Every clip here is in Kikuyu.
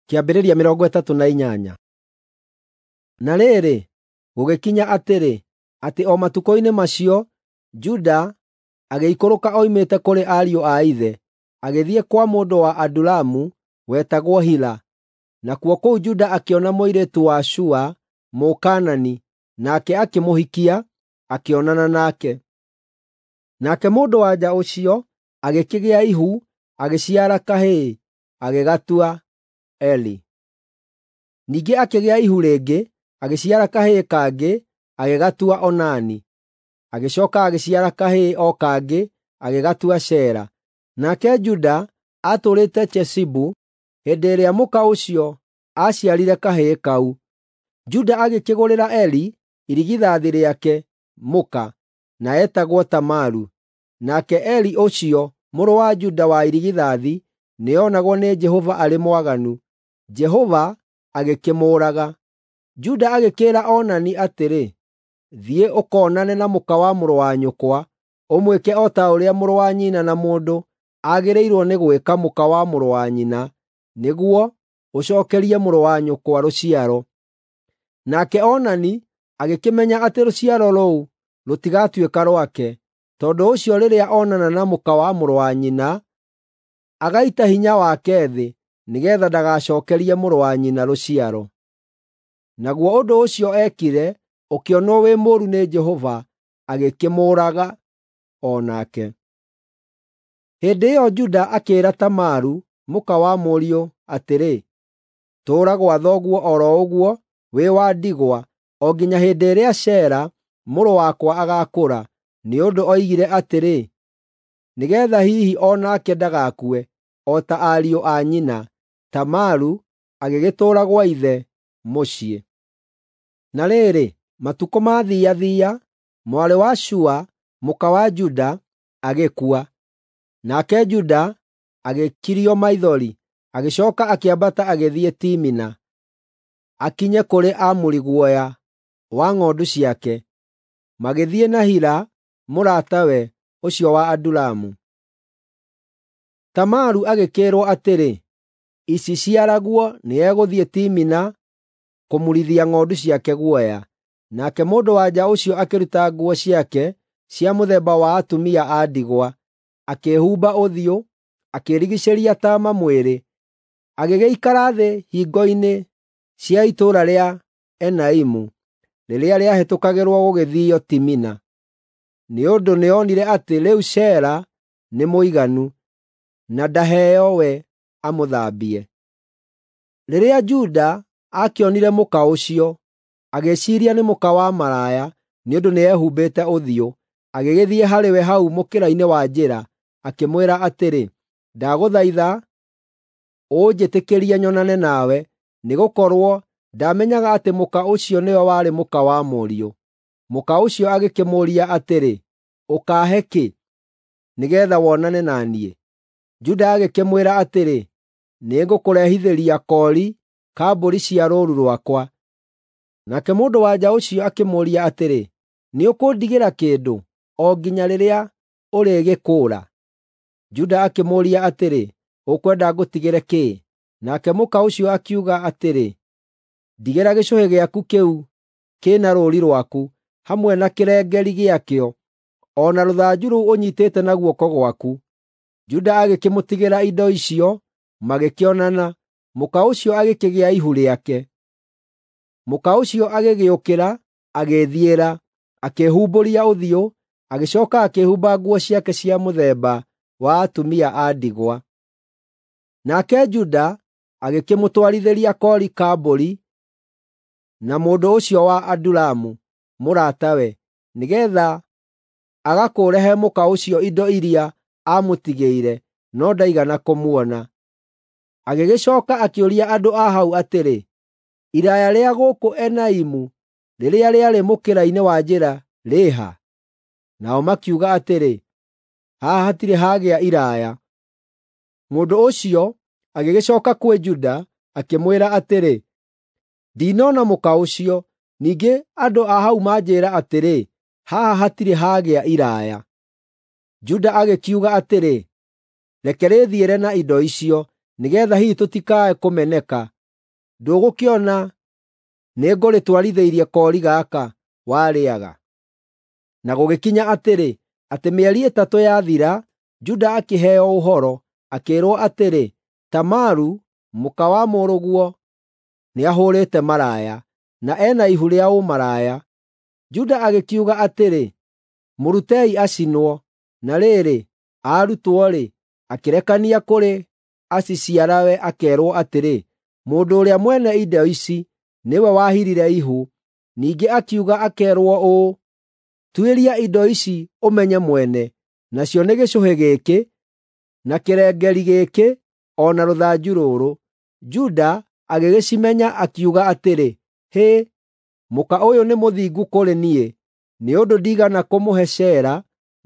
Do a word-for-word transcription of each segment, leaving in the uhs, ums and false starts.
Kĩambĩrĩria mĩrongo ĩtatũ na inyanya. Na rĩrĩ, gũgĩkinya atĩrĩ, atĩ o matukũ-inĩ macio Juda agĩikũrũka oimĩte kũrĩ ariũ a ithe, agĩthiĩ kwa mũndũ wa Adulamu wetagwo Hira. Nakuo kũu Juda akĩona mũirĩtu wa Shua, Mũkaanani, nake akĩmũhikia, akĩonana nake. Nake mũndũ-wa-nja ũcio agĩkĩgĩa ihu, agĩciara kahĩĩ, agĩgatua Eri. Ningĩ akĩgĩa ihu rĩngĩ, agĩciara kahĩĩ kangĩ, agĩgatua Onani. Agĩcooka agĩciara kahĩĩ o kangĩ, agĩgatua Shela. Nake Juda aatũũrĩte Chezibu hĩndĩ ĩrĩa mũka ũcio aaciarire kahĩĩ kau. Juda agĩkĩgũrĩra Eri, irigithathi rĩake, mũka, na eetagwo Tamaru. Nake Eri ũcio mũrũ wa Juda wa irigithathi nĩonagwo nĩ Jehova arĩ mwaganu, Jehova agĩkĩmũũraga. Juda agĩkĩĩra Onani atĩrĩ, “Thiĩ ũkoonane na mũka wa mũrũ wa nyũkwa, ũmwĩke o ta ũrĩa mũrũ wa nyina na mũndũ agĩrĩirwo nĩ gwĩka mũka wa mũrũ wa nyina, nĩguo ũcookerie mũrũ wa nyũkwa rũciaro.” Nake Onani agĩkĩmenya atĩ rũciaro rũu rũtigatuĩka rwake, tondũ ũcio rĩrĩa onana na mũka wa mũrũ wa nyina, agaita hinya wake thĩ nĩgeetha ndagacookerie mũrũ wa nyina rũciaro. Naguo ũndũ ũcio eekire ũkĩonwo wĩ mũũru nĩ Jehova, agĩkĩmũũraga o nake. Hĩndĩ ĩyo Juda akĩĩra Tamaru, mũka wa mũriũ, atĩrĩ, “Tũũra gwa thoguo o ro ũguo wĩ wa ndigwa o nginya hĩndĩ ĩrĩa Shela mũrũ wakwa agaakũra,” nĩ ũndũ oigire atĩrĩ, “Nĩgeetha hihi o nake ndagakue, o ta ariũ a nyina.” Tamaru agĩgĩtũũra gwa ithe mũciĩ. Na rĩrĩ, matukũ maathiathia, mwarĩ wa Shua, mũka wa Juda, agĩkua. Nake Juda agĩkirio maithori, agĩcooka akĩambata agĩthiĩ Timina, akinye kũrĩ amuri guoya wa ng'ondu ciake, magĩthiĩ na Hira mũratawe, ũcio wa Adulamu. Tamaru agĩkĩĩrwo atĩrĩ, “Iciciaraguo nĩegũthiĩ Timina kũmurithia ng'ondu ciake guoya.” Nake mũndũ-wa-nja ũcio akĩruta nguo ciake cia mũthemba wa atumia a ndigwa, akĩĩhumba ũthiũ, akĩĩrigiicĩria taama mwĩrĩ, agĩgĩikara thĩ hingĩro-inĩ cia itũũra rĩa Enaimu, rĩrĩa rĩahĩtũkagĩrwo gũgĩthiio Timina. Nĩ ũndũ nĩonire atĩ rĩu Shela nĩ mũiganu, na ndaheo we amũthambie. Rĩrĩa Juda aakĩonire mũka ũcio, agĩĩciiria nĩ mũka wa maraya nĩ ũndũ nĩehumbĩte ũthiũ, agĩgĩthiĩ harĩ we hau mũkĩra-inĩ wa njĩra, akĩmwĩra atĩrĩ, “Ndagũthaitha ũnjĩtĩkĩrie nyonane nawe,” nĩgũkorwo ndaamenyaga atĩ mũka ũcio nĩwe warĩ mũka wa mũriũ. Mũka ũcio agĩkĩmũũria atĩrĩ, “Ũkaahe kĩ, nĩgeetha wonane na niĩ?” Juda agĩkĩmwĩra atĩrĩ, “Nĩngũkũrehithĩria koori ka mbũri cia rũũru rwakwa.” Nake mũndũ-wa-nja ũcio akĩmũũria atĩrĩ, “Nĩũkũndigĩra kĩndũ, o nginya rĩrĩa ũrĩgĩkũũra?” Juda akĩmũũria atĩrĩ, “Ũkwenda ngũtigĩre kĩĩ?” Nake mũka ũcio akiuga atĩrĩ, “Ndigĩra gĩcũhĩ gĩaku kĩu kĩ na rũũri rwaku, hamwe na kĩrengeeri gĩakĩo, o na rũthanju rũu ũnyiitĩte na guoko gwaku.” Juda agĩkĩmũtigĩra indo icio, magĩkĩonana, mũka ũcio agĩkĩgĩa ihu rĩake. Mũka ũcio agĩgĩũkĩra, agĩĩthiĩra, akĩĩhumbũria ũthiũ, agĩcooka akĩĩhumba nguo ciake cia mũthemba wa atumia a ndigwa. Nake Juda agĩkĩmũtwarithĩria koori ka mbũri na mũndũ ũcio wa Adulamu, mũratawe, nĩgeetha agakũũre he mũka ũcio indo iria aamũtigĩire, no ndaigana kũmuona. Agĩgĩcooka akĩũria andũ a hau atĩrĩ, “Iraaya rĩa gũkũ Enaimu rĩrĩa rĩarĩ mũkĩra-inĩ wa njĩra rĩ ha?” Nao makiuga atĩrĩ, “Haha hatirĩ hagĩa iraaya.” Mũndũ ũcio agĩgĩcooka kwĩ Juda, akĩmwĩra atĩrĩ, “Ndinona mũka ũcio, ningĩ andũ a hau manjĩĩra atĩrĩ, ‘Haha hatirĩ hagĩa iraaya.’ ” Juda agĩkiuga atĩrĩ, “Reke rĩĩthiĩre na indo icio, nĩgeetha hihi tũtikae kũmeneka.” Ndũgũkĩona nĩngũrĩtwarithĩirie koori gaka warĩĩaga?” Na gũgĩkinya atĩrĩ, atĩ mĩeri ĩtatũ yathira, Juda akĩheo ũhoro, akĩĩrwo atĩrĩ, “Tamaru, mũka wa mũrũguo, nĩahũrĩte maraya, na ena ihu rĩa ũmaraya.” Juda agĩkiuga atĩrĩ, “Mũrutei acinwo.” Na rĩrĩ, aarutwo-rĩ, akĩrekania kũrĩ aciciarawe akeerwo atĩrĩ, “Mũndũ ũrĩa mwene indo ici nĩwe wahirire ihu.” Ningĩ akiuga akeerwo ũũ, “Tuĩria indo ici ũmenye mwene, nacio nĩ gĩcũhĩ gĩkĩ, na kĩrengeri gĩkĩ, o na rũthanju rũrũ.” Juda agĩgĩcimenya akiuga atĩrĩ, “Hĩ, mũka ũyũ nĩ mũthingu kũrĩ niĩ, nĩ ũndũ ndiigana kũmũhe Shela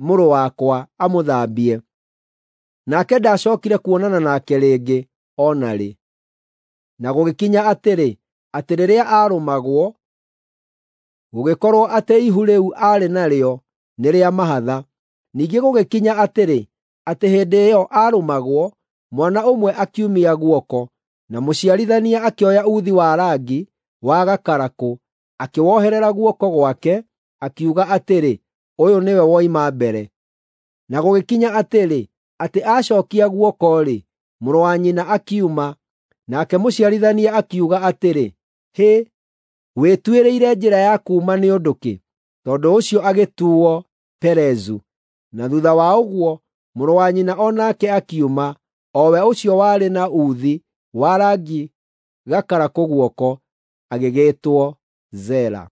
mũrũ wakwa amũthambie.” Nake ndacookire kuonana nake rĩngĩ o na rĩ. Na gũgĩkinya atĩrĩ, atĩ rĩrĩa aarũmagwo, gũgĩkorwo atĩ ihu rĩu aarĩ narĩo nĩ rĩa mahatha. Ningĩ gũgĩkinya atĩrĩ, atĩ hĩndĩ ĩyo aarũmagwo, mwana ũmwe akiumia guoko, na mũciarithania akĩoya uthi wa rangi wa gakarakũ, akĩwoherera guoko gwake, akiuga atĩrĩ, “Ũyũ nĩwe woima mbere.” Na gũgĩkinya atĩrĩ, atĩ acookia guoko-rĩ, mũrũ wa nyina akiuma, nake mũciarithania akiuga atĩrĩ, “Hĩ, wĩtuĩrĩire njĩra ya kuuma nĩ ũndũ kĩ?” Tondũ ũcio agĩtuuo Perezu. Na thuutha wa ũguo, mũrũ wa nyina o nake akiuma, o we ũcio warĩ na uthi wa rangi gakarakũ guoko, agĩgĩĩtwo Zera.